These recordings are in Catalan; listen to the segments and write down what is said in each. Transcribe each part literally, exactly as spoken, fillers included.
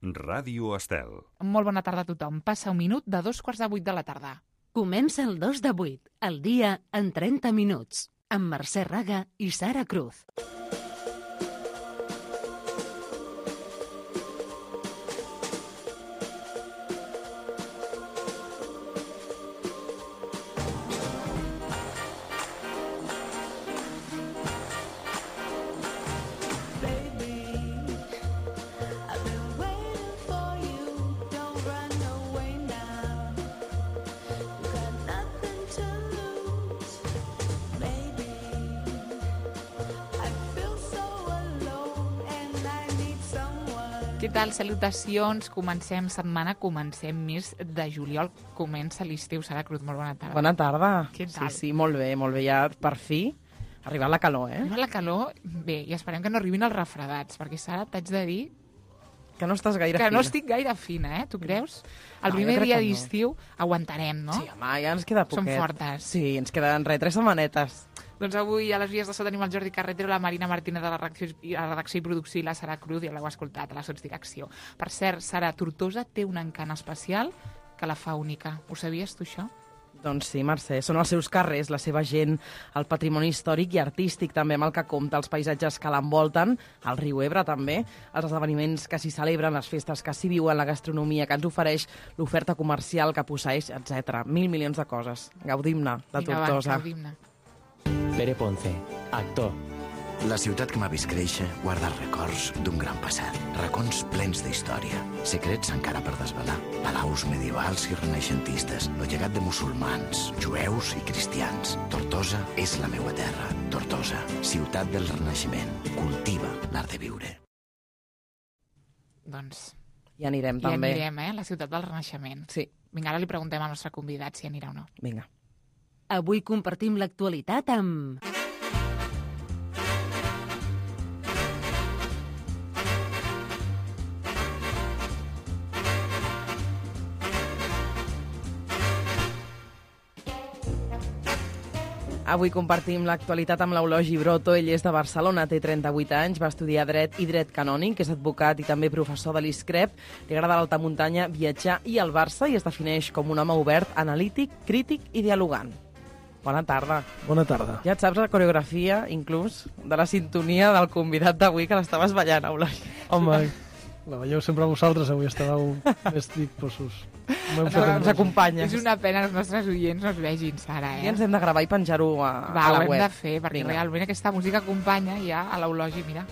Ràdio Estel. Molt bona tarda a tothom. Passa un minut de dos quarts de vuit de la tarda. Comença el dos de vuit, el dia en trenta minuts, amb Mercè Raga i Sara Cruz. Què tal? Salutacions. Comencem setmana, comencem mes de juliol. Comença l'estiu. Sara Cruz, molt bona tarda. Bona tarda. Què tal? Sí, sí, molt bé, molt bé. Ja, per fi, ha arribat la calor, eh? Arriba la calor, bé, i esperem que no arribin els refredats, perquè, Sara, t'haig de dir Que no estàs gaire que fina. no estic gaire fina, eh? Tu creus? El No, primer jo crec dia que no. d'estiu aguantarem, no? Sí, home, ja ens queda Som poquet. fortes. Sí, ens queden re, tres setmanetes. Doncs avui a les vies de so tenim el Jordi Carretero, la Marina Martínez de la redacció, i la redacció i producció i la Sara Cruz, ja l'heu escoltat a la sotsdirecció. Per cert, Sara, Tortosa té un encant especial que la fa única. Ho sabies, tu, això? Doncs sí, Mercè, són els seus carrers, la seva gent, el patrimoni històric i artístic també amb el que compta, els paisatges que l'envolten, el riu Ebre també, els esdeveniments que s'hi celebren, les festes que s'hi viuen, la gastronomia que ens ofereix, l'oferta comercial que posseeix, etcètera. Mil milions de coses. Gaudim-ne, de Vinga, Tortosa. va, gaudim-ne. Pere Ponce, actor. La ciutat que m'ha vist créixer guarda records d'un gran passat. Racons plens d'història. Secrets encara per desvelar. Palaus medievals i renaixentistes. El llegat de musulmans, jueus i cristians. Tortosa és la meua terra. Tortosa, ciutat del Renaixement. Cultiva l'art de viure. Doncs Hi anirem, hi també. anirem, eh? A la ciutat del Renaixement. Sí, Vinga, ara li preguntem al nostre convidat si anirà o no. vinga. Avui compartim l'actualitat amb... Avui compartim l'actualitat amb l'Eulogi Broto. Ell és de Barcelona, té trenta-vuit anys, va estudiar Dret i Dret Canònic, és advocat i també professor de l'ISCREP. Li agrada l'alta muntanya, viatjar i el Barça i es defineix com un home obert, analític, crític i dialogant. Bona tarda. Bona tarda. Ja et saps la coreografia, inclús, de la sintonia del convidat d'avui, que l'estaves ballant, Eulogi. Home, la veieu sempre vosaltres, avui estàveu més disposos. M'ho hem fet Ens amb- acompanyes. És una pena que els nostres oients no es vegin, Sara, eh? I ens hem de gravar i penjar-ho a, Va, a la ho hem web. de fer, perquè Vinga. realment aquesta música acompanya ja a l'Eulogi, mira.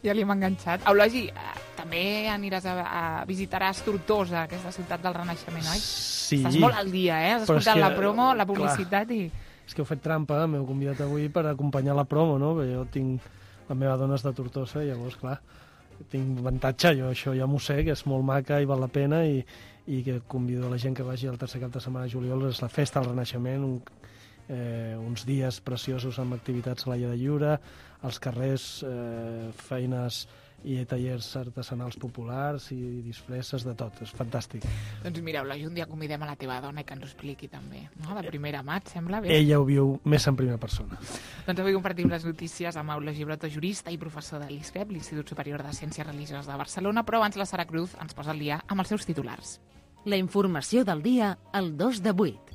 Ja li hem enganxat. Eulogi, eh, també aniràs a, a visitaràs Tortosa, aquesta ciutat del Renaixement, oi? Sí. Estàs molt al dia, eh? Has Però és escoltat que, la promo, la clar. publicitat i... És que heu fet trampa, m'heu convidat avui per acompanyar la promo, no? Perquè jo tinc... La meva dona és de Tortosa, i llavors, clar, tinc avantatge, jo això ja m'ho sé, que és molt maca i val la pena, i, i que convido a la gent que vagi el tercer cap de setmana de juliol, és la festa del Renaixement, un, eh, uns dies preciosos amb activitats a l'aire lliure, als carrers, eh, feines i tallers artesanals populars i disfresses de tot, és fantàstic. Doncs mira, Eulogi, un dia convidem a la teva dona i que ens ho expliqui també, no? De primera mà, et sembla bé? Ella ho viu més en primera persona. Doncs avui compartim les notícies amb Eulogi Broto, jurista i professor de l'ISCREP, l'Institut Superior de Ciències Religioses de Barcelona, però abans la Sara Cruz ens posa al dia amb els seus titulars. La informació del dia al dos de vuit.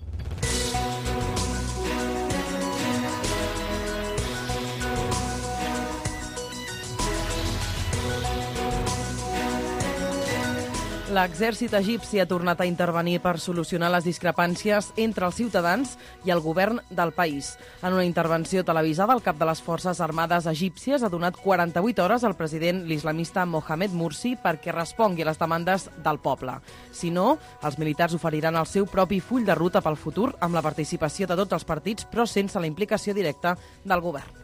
L'exèrcit egipci ha tornat a intervenir per solucionar les discrepàncies entre els ciutadans i el govern del país. En una intervenció televisada, el cap de les Forces Armades egípcies ha donat quaranta-vuit hores al president l'islamista Mohamed Morsi perquè respongui a les demandes del poble. Si no, els militars oferiran el seu propi full de ruta pel futur amb la participació de tots els partits, però sense la implicació directa del govern.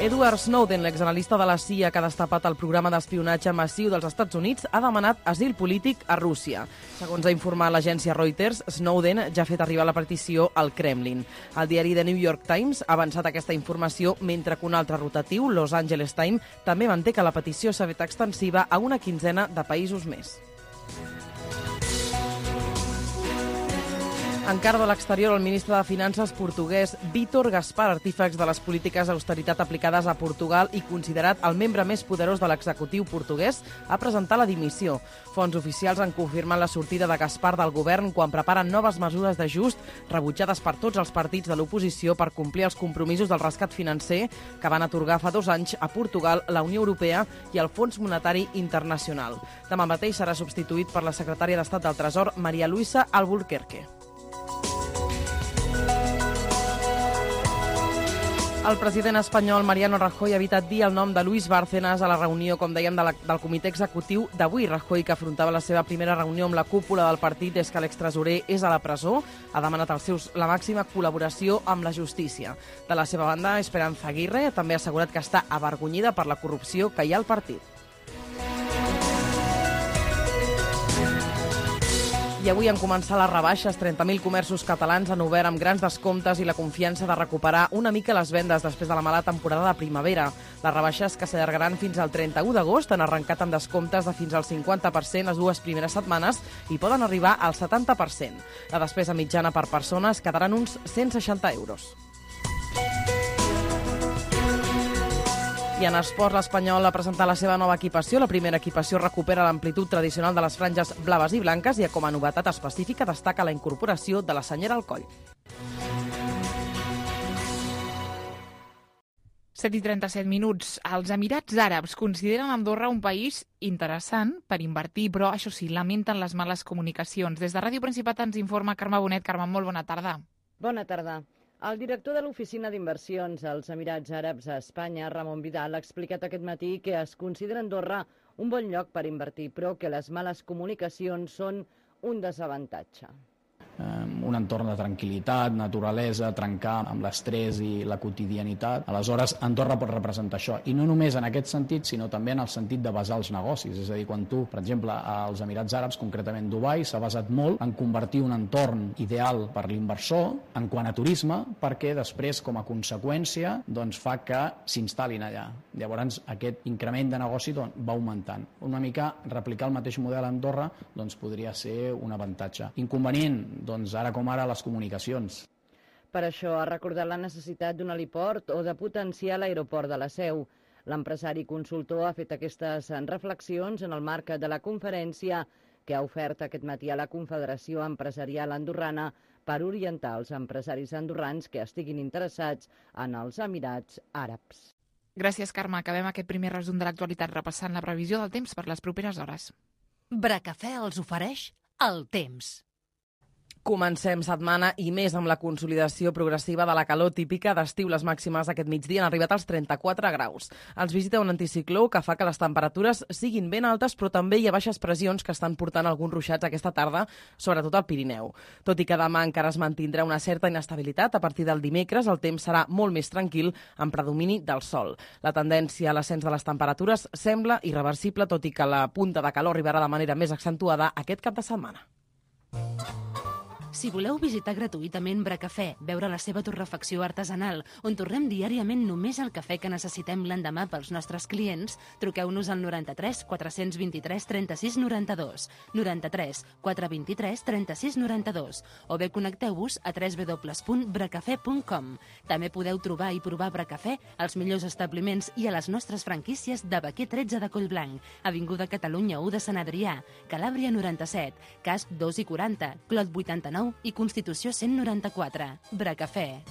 Edward Snowden, l'exanalista de la C I A que ha destapat el programa d'espionatge massiu dels Estats Units, ha demanat asil polític a Rússia. Segons ha informat l'agència Reuters, Snowden ja ha fet arribar la petició al Kremlin. El diari The New York Times ha avançat aquesta informació, mentre que un altre rotatiu, Los Angeles Times, també manté que la petició s'ha fet extensiva a una quinzena de països més. Encara de l'exterior, el ministre de Finances portuguès Vítor Gaspar, artífex de les polítiques d'austeritat aplicades a Portugal i considerat el membre més poderós de l'executiu portuguès, ha presentat la dimissió. Fonts oficials han confirmat la sortida de Gaspar del govern quan preparen noves mesures d'ajust rebutjades per tots els partits de l'oposició per complir els compromisos del rescat financer que van atorgar fa dos anys a Portugal, la Unió Europea i el Fons Monetari Internacional. Demà mateix serà substituït per la secretària d'Estat del Tresor, María Luisa Albuquerque. El president espanyol Mariano Rajoy ha evitat dir el nom de Luis Bárcenas a la reunió, com dèiem, de la, del comitè executiu d'avui. Rajoy, que afrontava la seva primera reunió amb la cúpula del partit des que l'extresorer és a la presó, ha demanat als seus la màxima col·laboració amb la justícia. De la seva banda, Esperanza Aguirre també ha assegurat que està avergonyida per la corrupció que hi ha al partit. I avui han començat les rebaixes. trenta mil comerços catalans han obert amb grans descomptes i la confiança de recuperar una mica les vendes després de la mala temporada de primavera. Les rebaixes, que s'allargaran fins al trenta-u d'agost, han arrencat amb descomptes de fins al cinquanta per cent les dues primeres setmanes i poden arribar al setanta per cent. La despesa mitjana per persona es quedaran uns cent seixanta euros. I en esports, l'Espanyol ha presentat la seva nova equipació. La primera equipació recupera l'amplitud tradicional de les franges blaves i blanques i, com a novetat específica, destaca la incorporació de la senyera al coll. set i trenta-set minuts. Els Emirats Àrabs consideren Andorra un país interessant per invertir, però, això sí, lamenten les males comunicacions. Des de Ràdio Principat ens informa Carme Bonet. Carme, molt bona tarda. Bona tarda. El director de l'Oficina d'Inversions als Emirats Àrabs a Espanya, Ramon Vidal, ha explicat aquest matí que es considera Andorra un bon lloc per invertir, però que les males comunicacions són un desavantatge. Un entorn de tranquil·litat, naturalesa, trencar amb l'estrès i la quotidianitat. Aleshores, Andorra pot representar això. I no només en aquest sentit, sinó també en el sentit de basar els negocis. És a dir, quan tu, per exemple, als Emirats Àrabs, concretament Dubai, s'ha basat molt en convertir un entorn ideal per l'inversor en quant a turisme, perquè després, com a conseqüència, doncs, fa que s'instal·lin allà. Llavors, aquest increment de negoci doncs, va augmentant. Una mica replicar el mateix model a Andorra doncs, podria ser un avantatge. Inconvenient, doncs ara com ara les comunicacions. Per això ha recordat la necessitat d'un heliport o de potenciar l'aeroport de la Seu. L'empresari consultor ha fet aquestes reflexions en el marc de la conferència que ha ofert aquest matí a la Confederació Empresarial Andorrana per orientar els empresaris andorrans que estiguin interessats en els Emirats Àrabs. Gràcies, Carme. Acabem aquest primer resum de l'actualitat repassant la previsió del temps per les properes hores. Bracafè els ofereix el temps. Comencem setmana i més amb la consolidació progressiva de la calor típica d'estiu. Les màximes aquest migdia han arribat als trenta-quatre graus. Els visita un anticicló que fa que les temperatures siguin ben altes, però també hi ha baixes pressions que estan portant alguns ruixats aquesta tarda, sobretot al Pirineu. Tot i que demà encara es mantindrà una certa inestabilitat, a partir del dimecres el temps serà molt més tranquil, amb predomini del sol. La tendència a l'ascens de les temperatures sembla irreversible, tot i que la punta de calor arribarà de manera més accentuada aquest cap de setmana. Si voleu visitar gratuïtament Bracafè, veure la seva torrefacció artesanal, on tornem diàriament només el cafè que necessitem l'endemà pels nostres clients, truqueu-nos al noranta-tres quatre-cents vint-i-tres trenta-sis noranta-dos, noranta-tres quatre vint-i-tres trenta-sis noranta-dos, o bé connecteu-vos a w w w punt bracafè punt com. També podeu trobar i provar Bracafè als millors establiments i a les nostres franquícies de Baquer tretze de Collblanc, Avinguda Catalunya u de Sant Adrià, Calàbria noranta-set, Casp dos i quaranta, Clot vuitanta-nou i Constitució cent noranta-quatre. Bracafè.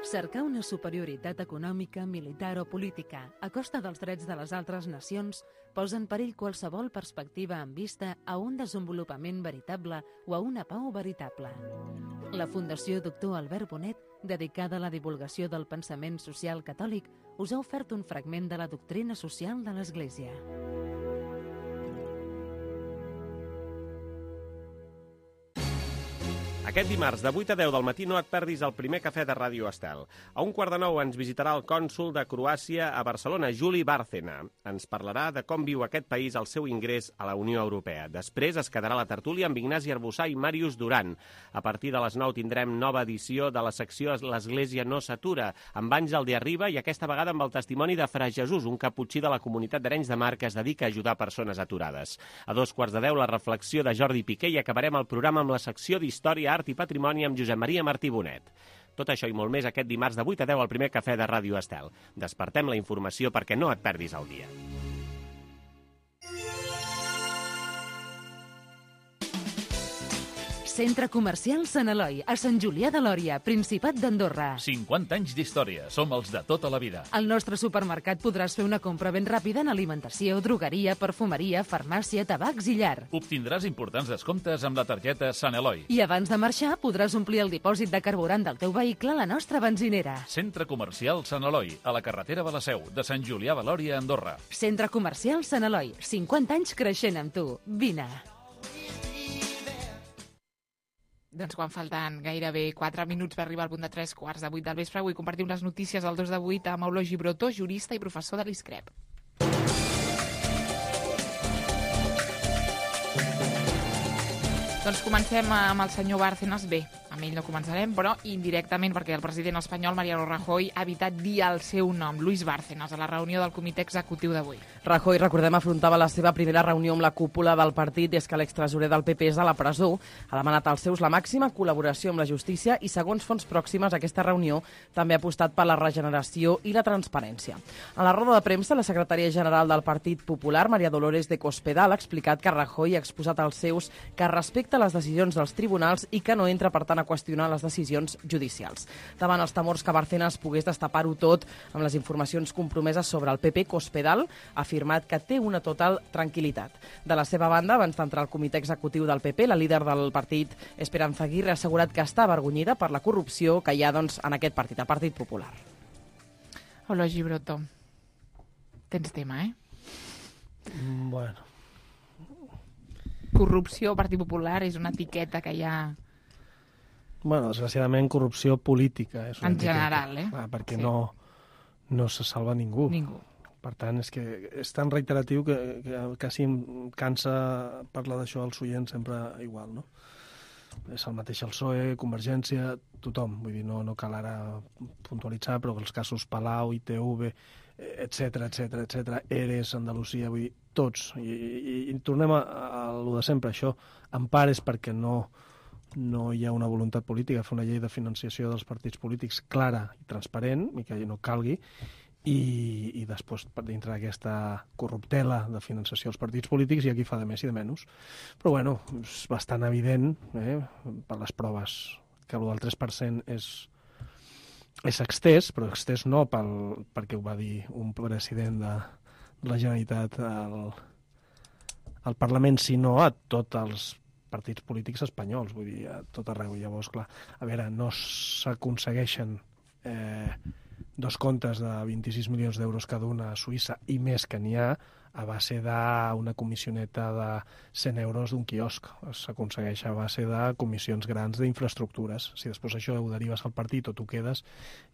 Cercar una superioritat econòmica, militar o política a costa dels drets de les altres nacions posa en perill qualsevol perspectiva en vista a un desenvolupament veritable o a una pau veritable. La Fundació Doctor Albert Bonet, dedicada a la divulgació del pensament social catòlic, us ha ofert un fragment de la doctrina social de l'Església. Aquest dimarts, de vuit a deu del matí, no et perdis el primer cafè de Ràdio Estel. A un quart de nou ens visitarà el cònsol de Croàcia a Barcelona, Juli Bárcena. Ens parlarà de com viu aquest país el seu ingrés a la Unió Europea. Després es quedarà la tertúlia amb Ignasi Arbussà i Màrius Duran. A partir de les nou tindrem nova edició de la secció L'Església no s'atura, amb Àngel de Arriba i aquesta vegada amb el testimoni de Fra Jesús, un caputxí de la comunitat d'Arenys de Mar que es dedica a ajudar persones aturades. A dos quarts de deu, la reflexió de Jordi Piqué i acabarem el programa amb la secció d'Història, Art i Patrimoni amb Josep Maria Martí Bonet. Tot això i molt més aquest dimarts de vuit a deu al primer cafè de Ràdio Estel. Despertem la informació perquè no et perdis el dia. Centre Comercial Sant Eloi, a Sant Julià de Lòria, Principat d'Andorra. cinquanta anys d'història, som els de tota la vida. Al nostre supermercat podràs fer una compra ben ràpida en alimentació, drogueria, perfumeria, farmàcia, tabacs i llar. Obtindràs importants descomptes amb la targeta Sant Eloi. I abans de marxar podràs omplir el dipòsit de carburant del teu vehicle a la nostra benzinera. Centre Comercial Sant Eloi, a la carretera de la Seu, de Sant Julià de Lòria, Andorra. Centre Comercial Sant Eloi, cinquanta anys creixent amb tu. Vine. Doncs quan falten gairebé quatre minuts per arribar al punt de tres quarts de vuit del vespre, avui compartim les notícies del dos de vuit amb Eulogi Brotó, jurista i professor de l'I S C R E P. Doncs comencem amb el senyor Bárcenas. Bé, amb ell no començarem, però indirectament perquè el president espanyol, Mariano Rajoy, ha evitat dir el seu nom, Luis Bárcenas, a la reunió del comitè executiu d'avui. Rajoy, recordem, afrontava la seva primera reunió amb la cúpula del partit des que l'extresorer del P P és a la presó. Ha demanat als seus la màxima col·laboració amb la justícia i, segons fonts pròximes a aquesta reunió, també ha apostat per la regeneració i la transparència. A la roda de premsa, la secretària general del Partit Popular, María Dolores de Cospedal, ha explicat que Rajoy ha exposat als seus que respecta les decisions dels tribunals i que no entra, per tant, a qüestionar les decisions judicials. Davant els temors que Bárcenas pogués destapar-ho tot amb les informacions compromeses sobre el P P, Cospedal ha afirmat que té una total tranquil·litat. De la seva banda, abans d'entrar al comitè executiu del P P, la líder del partit, Esperanza Aguirre, ha assegurat que està avergonyida per la corrupció que hi ha doncs, en aquest partit, el Partit Popular. Eulogi Brotó, tens tema, eh? Bueno. Corrupció, Partit Popular, és una etiqueta que hi ha... Bueno, desgraciadament, corrupció política. És una en etiqueta. general, eh? Ah, perquè sí. no, no se salva ningú. Ningú. Per tant, és que és tan reiteratiu que, que quasi em cansa parlar d'això als oients sempre igual, no? És el mateix el P S O E, Convergència, tothom. Vull dir, no, no cal ara puntualitzar, però els casos Palau, I T V, etcètera, etcètera, etcètera, Eres, Andalusia, vull dir, tots. I, i, i tornem a, a lo de sempre, això. En part és perquè no, no hi ha una voluntat política, fer una llei de financiació dels partits polítics clara i transparent, i que no calgui, i, i després, per dintre d'aquesta corruptela de financiació dels partits polítics, hi ha qui fa de més i de menys. Però, bueno, és bastant evident, eh, per les proves, que el del tres per cent és, és extès, però extès no pel, perquè ho va dir un president de la Generalitat al, al Parlament, sinó a tots els partits polítics espanyols, vull dir, a tot arreu. Llavors, clar, a veure, no s'aconsegueixen eh, dos comptes de vint-i-sis milions d'euros cada una a Suïssa i més que n'hi ha a base d'una comissioneta de cent euros d'un quiosc. S'aconsegueix a base de comissions grans d'infraestructures. Si després això ho derives al partit o tu quedes,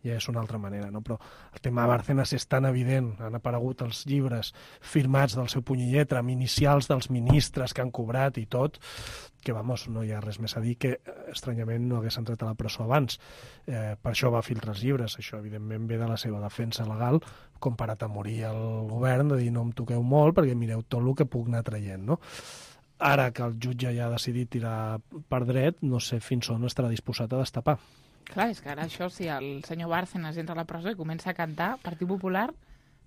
ja és una altra manera, no? Però el tema de Bárcenas és tan evident. Han aparegut els llibres firmats del seu puny i lletra, amb inicials dels ministres que han cobrat i tot, que, vamos, no hi ha res més a dir que, estranyament, no hagués entrat a la presó abans. Eh, per això va filtrar els llibres. Això, evidentment, ve de la seva defensa legal, comparat a morir el govern, de dir no em toqueu molt perquè mireu tot el que puc anar traient, no? Ara que el jutge ja ha decidit tirar per dret, no sé fins on estarà disposat a destapar. Clar, és que ara això, si el senyor Bárcenas entra a la presó i comença a cantar Partit Popular,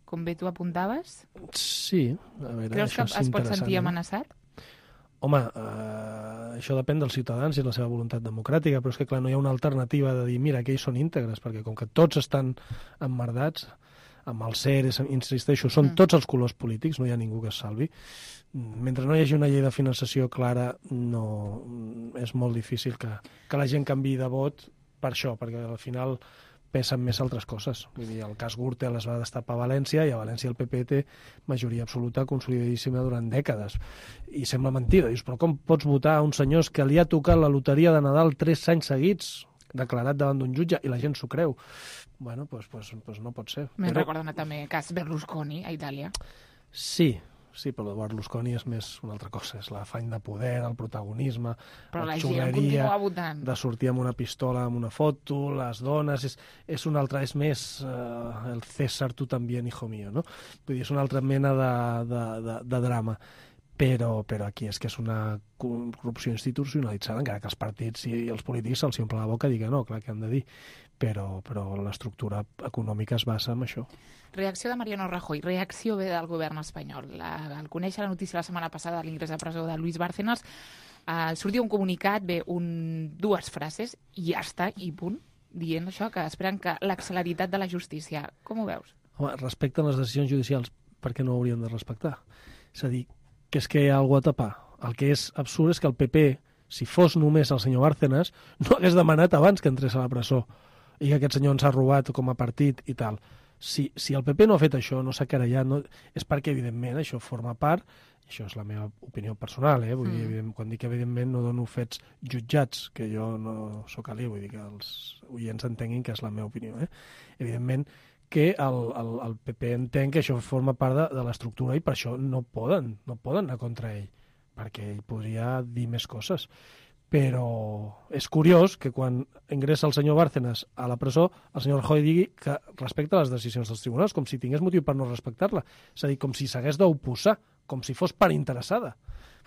com bé tu apuntaves... Sí, a veure, creus que es pot sentir no? amenaçat? Home, eh, això depèn dels ciutadans i la seva voluntat democràtica, però és que, clar, no hi ha una alternativa de dir, mira, que ells són íntegres, perquè com que tots estan emmerdats, amb el C E R, insisteixo, són mm. tots els colors polítics, no hi ha ningú que es salvi. Mentre no hi hagi una llei de finançació clara, no, és molt difícil que, que la gent canviï de vot per això, perquè al final pesen més altres coses. Vull dir, el cas Gürtel es va destapar a València i a València el P P té majoria absoluta consolidadíssima durant dècades. I sembla mentida. Dius, però com pots votar a uns senyors que li ha tocat la loteria de Nadal tres anys seguits, declarat davant d'un jutge, i la gent s'ho creu? Bueno, doncs pues, pues, pues no pot ser. Me'n Però... recorda també el cas Berlusconi a Itàlia. Sí, sí, però Berlusconi és més una altra cosa, és l'afany de poder, el protagonisme, però la, la gent continua votant. De sortir amb una pistola, amb una foto, les dones, és, és una altra, és més uh, el César, tu també, hijo mío, no? Vull dir, és una altra mena de, de, de, de drama. Però, però aquí és que és una corrupció institucionalitzada, encara que els partits i els polítics se'ls omple la boca i diguen no, clar que han de dir, però, però l'estructura econòmica es basa en això. Reacció de Mariano Rajoy, reacció ve del govern espanyol. La, al conèixer la notícia la setmana passada de l'ingrés a presó de Luis Bárcenas, eh, sortia un comunicat, ve un, dues frases, i ja està, i punt, dient això, que esperen que l'acceleritat de la justícia. Com ho veus? Home, respecten les decisions judicials, per què no ho haurien de respectar? És a dir, que és que hi ha alguna a tapar. El que és absurd és que el P P, si fos només el senyor Bárcenas, no hagués demanat abans que entrés a la presó i que aquest senyor ens ha robat com a partit i tal. Si, si el P P no ha fet això, no s'ha querellat, no, és perquè, evidentment, això forma part, això és la meva opinió personal, eh? Vull mm. dir, evident, quan dic evidentment no dono fets jutjats, que jo no sóc alí, vull dir que els oients entenguin que és la meva opinió. Eh? Evidentment, que el, el, el P P entén que això forma part de, de l'estructura i per això no poden, no poden anar contra ell, perquè ell podria dir més coses. Però és curiós que quan ingressa el senyor Bárcenas a la presó, el senyor Rajoy digui que respecta les decisions dels tribunals, com si tingués motiu per no respectar-la. És a dir, com si s'hagués d'oposar, com si fos per interessada.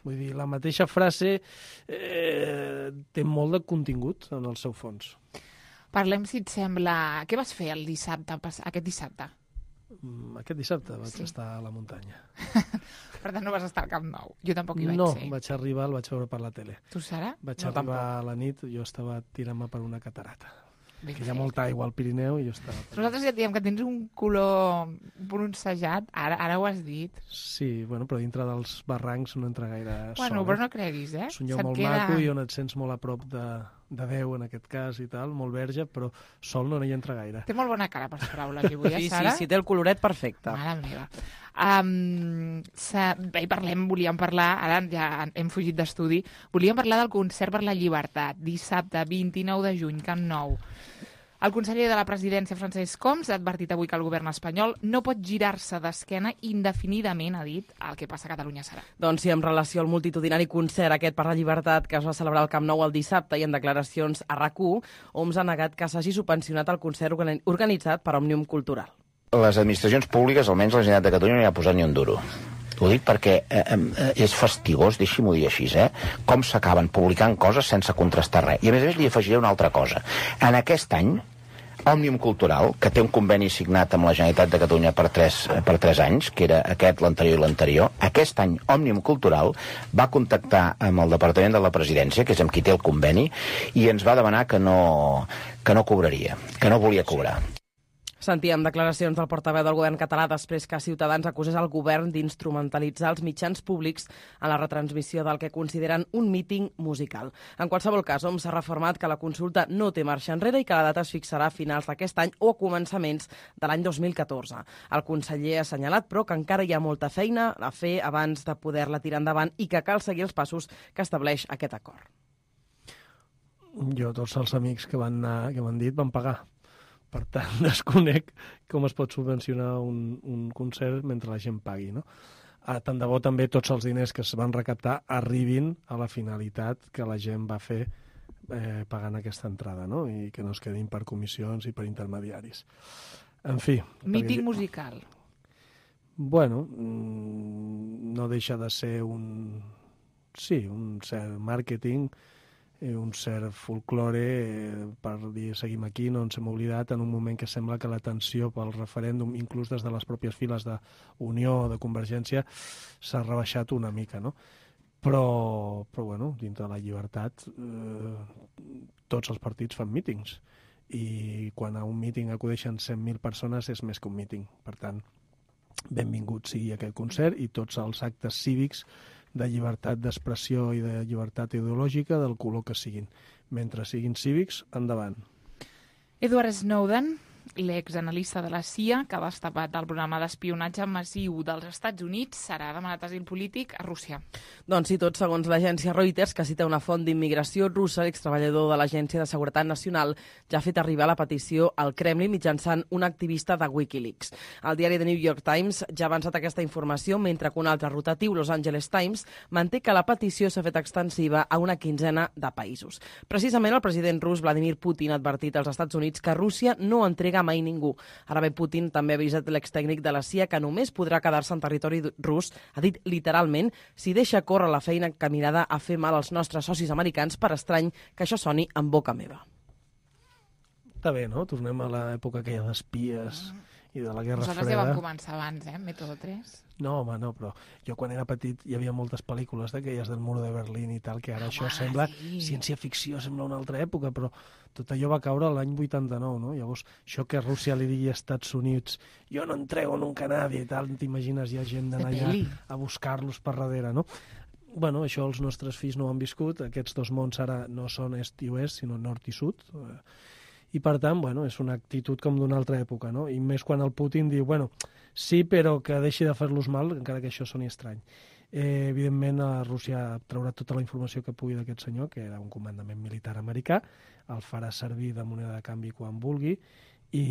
Vull dir, la mateixa frase eh, té molt de contingut en el seu fons. Parlem, si et sembla... Què vas fer el dissabte, aquest dissabte? Mm, aquest dissabte vaig sí. estar a la muntanya. Per tant, no vas estar al Camp Nou. Jo tampoc hi vaig no, ser. No, vaig arribar, el vaig veure per la tele. Tu, Sara? Vaig no, arribar tampoc. a la nit, jo estava tirant-me per una catarata. Ben que hi ha fet. molta aigua al Pirineu i jo estava... Nosaltres ja diem que tens un color bronzejat, ara, ara ho has dit. Sí, bueno, però dintre dels barrancs no entra gaire sol. Bueno, però no creguis, eh? És un lloc molt queda... maco i on et sents molt a prop de, de Déu, en aquest cas, i tal, molt verge, però sol no hi entra gaire. Té molt bona cara per paraules, avui, eh, sí, Sara? Sí, sí, té el coloret perfecte. Mare meva. Um, bé, parlem, volíem parlar, ara ja hem fugit d'estudi, volíem parlar del concert per la llibertat, dissabte vint-i-nou de juny, Camp Nou. El conseller de la presidència, Francesc Homs, ha advertit avui que el govern espanyol no pot girar-se d'esquena indefinidament, ha dit, el que passa a Catalunya serà. Doncs sí, en relació al multitudinari concert aquest per la llibertat que es va celebrar al Camp Nou el dissabte i en declaracions a RAC u, Homs ha negat que s'hagi subvencionat el concert organitzat per Òmnium Cultural. Les administracions públiques, almenys la Generalitat de Catalunya, no hi ha posat ni un duro. Ho dic perquè eh, eh, és fastigós, deixi-m'ho dir així, eh? Com s'acaben publicant coses sense contrastar res. I a més a més li afegiré una altra cosa. En aquest any, Òmnium Cultural, que té un conveni signat amb la Generalitat de Catalunya per tres, per tres anys, que era aquest, l'anterior i l'anterior, aquest any Òmnium Cultural va contactar amb el Departament de la Presidència, que és amb qui té el conveni, i ens va demanar que no, que no cobraria, que no volia cobrar. Sentíem declaracions del portaveu del govern català després que Ciutadans acusés el govern d'instrumentalitzar els mitjans públics en la retransmissió del que consideren un míting musical. En qualsevol cas, Homs s'ha reformat que la consulta no té marxa enrere i que la data es fixarà a finals d'aquest any o a començaments de l'any dos mil catorze. El conseller ha assenyalat, però, que encara hi ha molta feina a fer abans de poder-la tirar endavant i que cal seguir els passos que estableix aquest acord. Jo, tots els amics que van anar, que m'han dit, van pagar. Per tant, desconec com es pot subvencionar un, un concert mentre la gent pagui, no? Ah, tant de bo també tots els diners que es van recaptar arribin a la finalitat que la gent va fer eh, pagant aquesta entrada, no? I que no es quedin per comissions i per intermediaris. En fi... Míting perquè... musical. Bueno, no deixa de ser un... Sí, un cert màrqueting, un cert folklore eh, per dir seguim aquí, no ens hem oblidat en un moment que sembla que la tensió pel referèndum, inclús des de les pròpies files d'Unió o de Convergència, s'ha rebaixat una mica, no? Però, però bueno, dintre de la llibertat eh, tots els partits fan mítings i quan a un míting acudeixen cent mil persones és més que un míting. Per tant, benvingut sigui aquest concert i tots els actes cívics de llibertat d'expressió i de llibertat ideològica del color que siguin. Mentre siguin cívics, endavant. Edward Snowden, l'exanalista de la C I A, que ha destapat el programa d'espionatge massiu dels Estats Units, serà demanat asil polític a Rússia. Doncs sí, tot segons l'agència Reuters, que cita una font d'immigració russa, l'extreballador de l'Agència de Seguretat Nacional ja ha fet arribar la petició al Kremlin mitjançant un activista de Wikileaks. El diari The New York Times ja ha avançat aquesta informació, mentre que un altre rotatiu, Los Angeles Times, manté que la petició s'ha fet extensiva a una quinzena de països. Precisament el president rus Vladimir Putin ha advertit als Estats Units que Rússia no entrega mai ningú. Ara bé, Putin també ha avisat l'extècnic de la C I A que només podrà quedar-se en territori rus, ha dit literalment, si deixa córrer la feina encaminada a fer mal als nostres socis americans, per estrany que això soni en boca meva. Està bé, no? Tornem a l'època aquella d'espies i de la Guerra Nosaltres Freda. ja vam començar abans, eh? Método tres. No, home, no, però jo quan era petit hi havia moltes pel·lícules d'aquelles del mur de Berlín i tal, que ara això sembla ciència-ficció, sembla una altra època, però tot allò va caure l'any vuitanta-nou, no? Llavors, això que Rússia li digui als Estats Units jo no entrego nunca a nadie i tal, t'imagines, hi ha gent d'anar allà a buscar-los per darrere, no? Bueno, això els nostres fills no ho han viscut, aquests dos mons ara no són est i oest, sinó nord i sud, i per tant, bueno, és una actitud com d'una altra època, no? I més quan el Putin diu, bueno, sí, però que deixi de fer-los mal, encara que això soni estrany. Eh, evidentment, a Rússia traurà tota la informació que pugui d'aquest senyor, que era un comandament militar americà, el farà servir de moneda de canvi quan vulgui, i,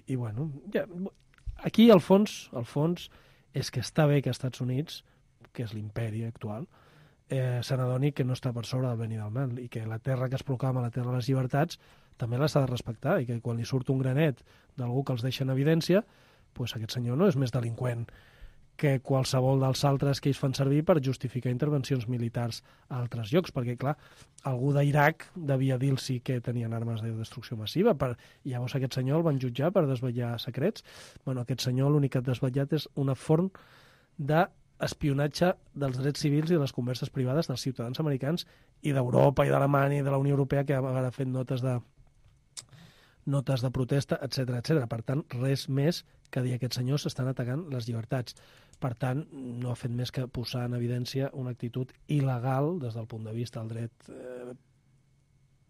i bueno, ja, aquí al fons, al fons és que està bé que als Estats Units, que és l'imperi actual, eh, se n'adoni que no està per sobre del bé i del mal, i que la terra que es proclama, la terra de les llibertats, també l'ha de respectar, i que quan li surt un granet d'algú que els deixa en evidència, pues aquest senyor no és més delinqüent que qualsevol dels altres que ells fan servir per justificar intervencions militars a altres llocs, perquè, clar, algú d'Iraq devia dir-los que tenien armes de destrucció massiva, per... i llavors aquest senyor el van jutjar per desvetllar secrets. Bueno, aquest senyor l'únic que ha desvetllat és una forn d'espionatge dels drets civils i de les converses privades dels ciutadans americans i d'Europa i d'Alemanya i de la Unió Europea, que ha fet notes de notes de protesta, etcètera, etcètera. Per tant, res més que dir que aquests senyors estan atacant les llibertats. Per tant, no ha fet més que posar en evidència una actitud il·legal des del punt de vista del dret eh,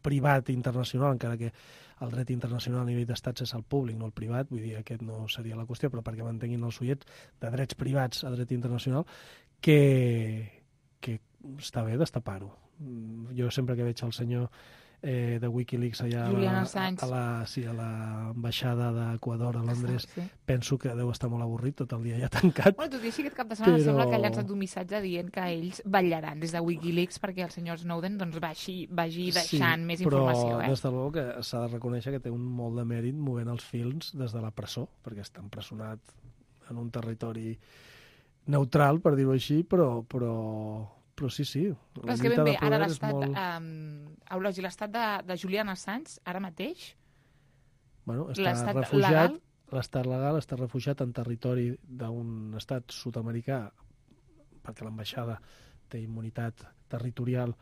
privat internacional, encara que el dret internacional a nivell d'estats és el públic, no el privat, vull dir, aquest no seria la qüestió, però perquè mantenguin els ullets de drets privats a dret internacional, que, que està bé destapar-ho. Jo sempre que veig el senyor Eh, de Wikileaks allà a la, a la, sí, a l'ambaixada d'Equador a Londres, sí. Penso que deu estar molt avorrit tot el dia ja tancat. Bueno, tot i així, aquest cap de setmana però... sembla que ha llançat un missatge dient que ells vetllaran des de Wikileaks perquè el senyor Snowden doncs, vagi, vagi deixant sí, més informació. Però eh? des de l'ou que s'ha de reconèixer que té un molt de mèrit movent els fils des de la presó, perquè està empresonat en un territori neutral, per dir-ho així, però... però... Però sí, sí. Però és que ben bé, ara l'estat molt... um, Eulogi, l'estat de, de Julian Assange, ara mateix... Bueno, està refugiat, l'estat legal està refugiat en territori d'un estat sud-americà, perquè l'ambaixada té immunitat territorial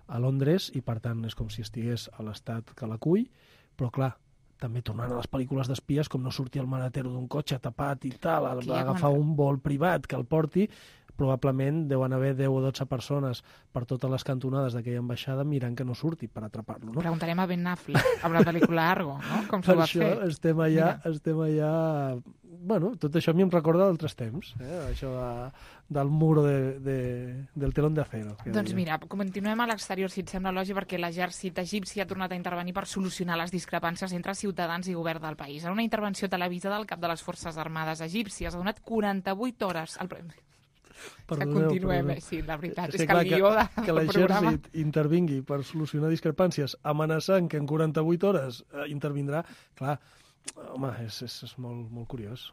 a Londres, i per tant és com si estigués a l'estat que l'acull, però clar, també tornant a les pel·lícules d'espies, com no sortir el maletero d'un cotxe tapat i tal, va agafar un vol privat que el porti, probablement deuen haver deu o dotze persones per totes les cantonades d'aquella ambaixada mirant que no surti per atrapar-lo. No? Preguntarem a Ben Affleck amb la pel·lícula Argo, no? Com s'ho va fer. Per això estem allà, estem allà... Bueno, tot això a mi em recorda d'altres temps, eh? Això de, del muro de, de, del telón de acero. Doncs mira, continuem a l'exterior, si et sembla lògic, perquè l'exèrcit egipci ha tornat a intervenir per solucionar les discrepàncies entre ciutadans i govern del país. En una intervenció televisada, el cap de les Forces Armades egípcies ha donat quaranta-vuit hores al... Perdoneu, que continuem, perdoneu. Sí, la veritat, és, és que el guió de, que l'exèrcit intervingui per solucionar discrepàncies amenaçant que en quaranta-vuit hores eh, intervindrà, clar, home, és, és, és molt, molt curiós.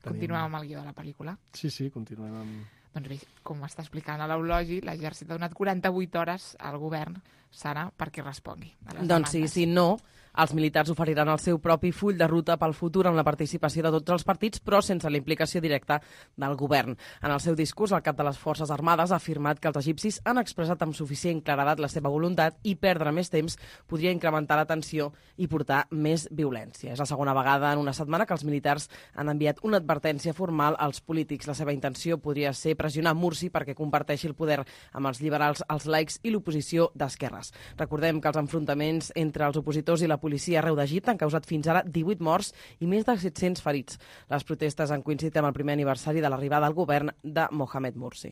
Tenim... Continuem amb el guió de la pel·lícula? Sí, sí, continuem amb... Doncs bé, com està explicant a l'Eulogi, l'exèrcit ha donat quaranta-vuit hores al govern, Sara, perquè respongui a les doncs sí, si no, els militars oferiran el seu propi full de ruta pel futur amb la participació de tots els partits, però sense la implicació directa del govern. En el seu discurs, el cap de les Forces Armades ha afirmat que els egipcis han expressat amb suficient claredat la seva voluntat i perdre més temps podria incrementar la tensió i portar més violència. És la segona vegada en una setmana que els militars han enviat una advertència formal als polítics. La seva intenció podria ser pressionar Mursi perquè comparteixi el poder amb els liberals, els laics i l'oposició d'esquerres. Recordem que els enfrontaments entre els opositors i la policia arreu d'Egipte han causat fins ara divuit morts i més de set-cents ferits. Les protestes han coincidit amb el primer aniversari de l'arribada al govern de Mohamed Mursi.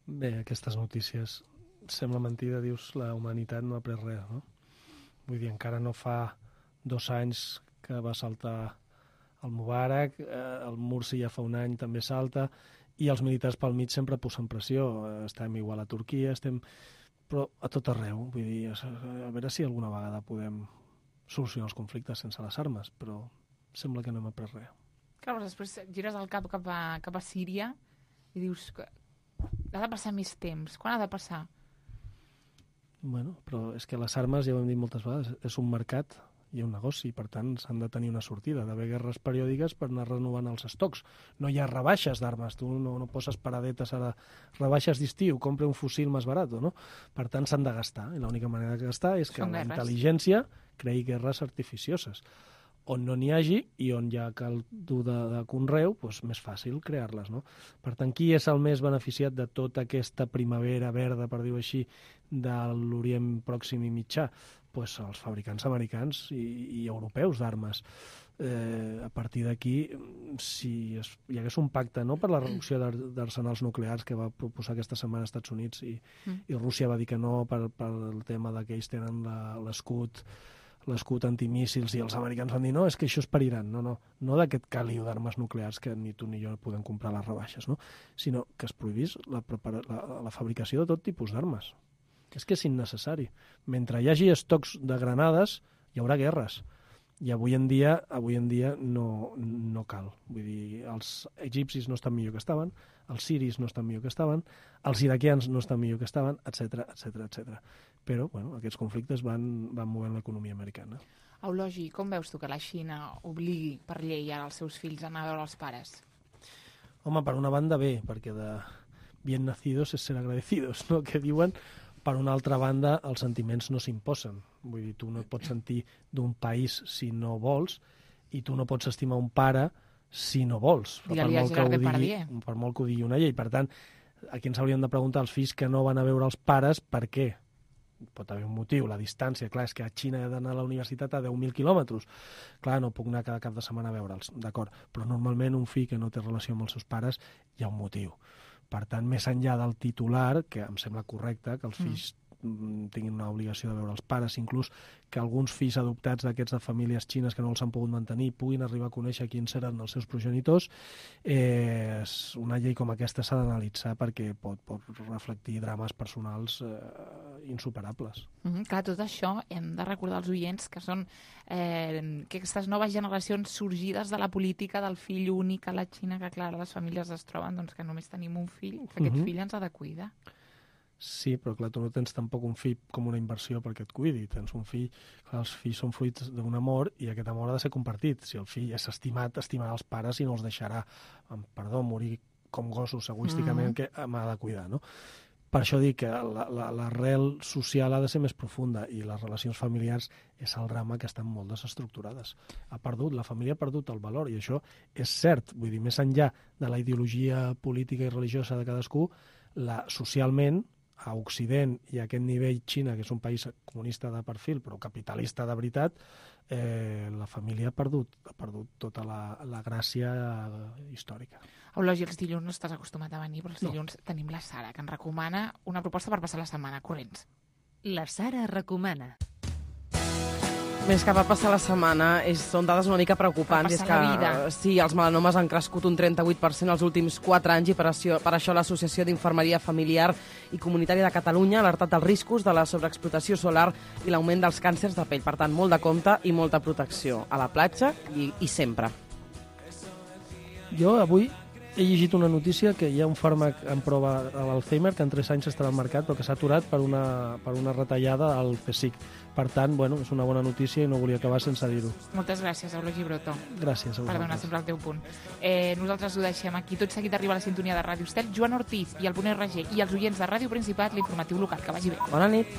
Bé, aquestes notícies sembla mentida, dius, la humanitat no ha pres res, no? Vull dir, encara no fa dos anys que va saltar el Mubarak, eh, el Mursi ja fa un any també salta, i els militars pel mig sempre posen pressió. Estem igual a Turquia, estem... però a tot arreu. Vull dir, a veure si alguna vegada podem solucionar els conflictes sense les armes, però sembla que no hem après res. Clar, després gires el cap cap a, cap a Síria i dius que ha de passar més temps. Quan ha de passar? Bueno, però és que les armes, ja ho hem dit moltes vegades, és un mercat i un negoci, per tant s'han de tenir una sortida, d'haver guerres periòdiques per anar renovant els estocs. No hi ha rebaixes d'armes, tu no, no poses paradetes ara, rebaixes d'estiu, compra un fusil més barat, no? Per tant s'han de gastar, i l'única manera de gastar és que Són la guerres. intel·ligència creï guerres artificioses. On no n'hi hagi i on hi ha caldo de, de conreu, doncs més fàcil crear-les, no? Per tant, qui és el més beneficiat de tota aquesta primavera verda, per dir-ho així, de l'Orient Pròxim i Mitjà? Pues els fabricants americans i, i europeus d'armes. Eh, a partir d'aquí, si es, hi hagués un pacte, no, per la reducció d'arsenals nuclears que va proposar aquesta setmana als Estats Units i, mm. i Rússia va dir que no per, per el tema de que ells tenen l'escut l'escut antimíssils, i els americans van dir no, és que això es periran, no, no, no d'aquest caliu d'armes nuclears que ni tu ni jo podem comprar a les rebaixes, no? Sinó que es prohibís la, la, la fabricació de tot tipus d'armes. És que és innecessari. Mentre hi hagi estocs de granades, hi haurà guerres. I avui en dia, avui en dia no, no cal. Vull dir, els egipcis no estan millor que estaven, els siris no estan millor que estaven, els iraquians no estan millor que estaven, etcètera, etcètera, etcètera. Però, bueno, aquests conflictes van, van movent l'economia americana. Eulogi, com veus tu que la Xina obligui per llei ara els seus fills a anar a veure els pares? Home, per una banda bé, perquè de bien nacidos es ser agradecidos, no?, que diuen. Per una altra banda, els sentiments no s'imposen. Vull dir, tu no et pots sentir d'un país si no vols, i tu no pots estimar un pare si no vols. Per molt, que ho digui, per molt que ho digui una llei. Per tant, aquí ens hauríem de preguntar als fills que no van a veure els pares per què. Pot haver un motiu, la distància. Clar, és que a Xina he d'anar a la universitat a deu mil quilòmetres. Clar, no puc anar cada cap de setmana a veure'ls, d'acord. Però normalment un fill que no té relació amb els seus pares hi ha un motiu. Per tant, més enllà del titular, que em sembla correcte, que els fills mm. tinguin una obligació de veure els pares, inclús que alguns fills adoptats d'aquests de famílies xines que no els han pogut mantenir puguin arribar a conèixer quins eren els seus progenitors, eh, una llei com aquesta s'ha d'analitzar perquè pot, pot reflectir drames personals eh, insuperables. Mm-hmm, clar, tot això hem de recordar als oients que són eh, que aquestes noves generacions sorgides de la política del fill únic a la Xina, que clar, les famílies es troben doncs, que només tenim un fill, que aquest mm-hmm. fill ens ha de cuidar. Sí, però clar, tu no tens tampoc un fill com una inversió perquè et cuidi. Tens un fill, clar, els fills són fruits d'un amor i aquest amor ha de ser compartit. Si el fill és estimat, estimarà els pares i no els deixarà, amb perdó, morir com gossos egoísticament, mm. que m'ha de cuidar, no? Per això dic que l'arrel social ha de ser més profunda i les relacions familiars és el drama que estan molt desestructurades. Ha perdut, la família ha perdut el valor i això és cert. Vull dir, més enllà de la ideologia política i religiosa de cadascú, la, socialment, a Occident i a aquest nivell Xina, que és un país comunista de perfil però capitalista de veritat, eh, la família ha perdut, ha perdut tota la, la gràcia històrica. Eulogi, els dilluns no estàs acostumat a venir, però els dilluns no. Tenim la Sara, que ens recomana una proposta per passar la setmana. Corrents. La Sara recomana. Més que per passar la setmana, és, són dades una mica preocupants. Per és passar que, la vida. Sí, els melanomes han crescut un trenta-vuit per cent els últims quatre anys i per això, per això l'Associació d'Infermeria Familiar i Comunitària de Catalunya ha alertat dels riscos de la sobreexplotació solar i l'augment dels càncers de pell. Per tant, molt de compte i molta protecció a la platja i, i sempre. Jo avui he llegit una notícia que hi ha un fàrmac en prova a l'Alzheimer que en tres anys estarà al mercat però que s'ha aturat per una, per una retallada al PSIC. Per tant, bueno, és una bona notícia i no volia acabar sense dir-ho. Moltes gràcies, Eulogi Broto. Gràcies a vosaltres. Per donar sempre el teu punt. Eh, nosaltres ho deixem aquí. Tot seguit arriba a la sintonia de Ràdio Estel, Joan Ortiz i el Punt R G i els oients de Ràdio Principat, l'informatiu local. Que vagi bé. Bona nit.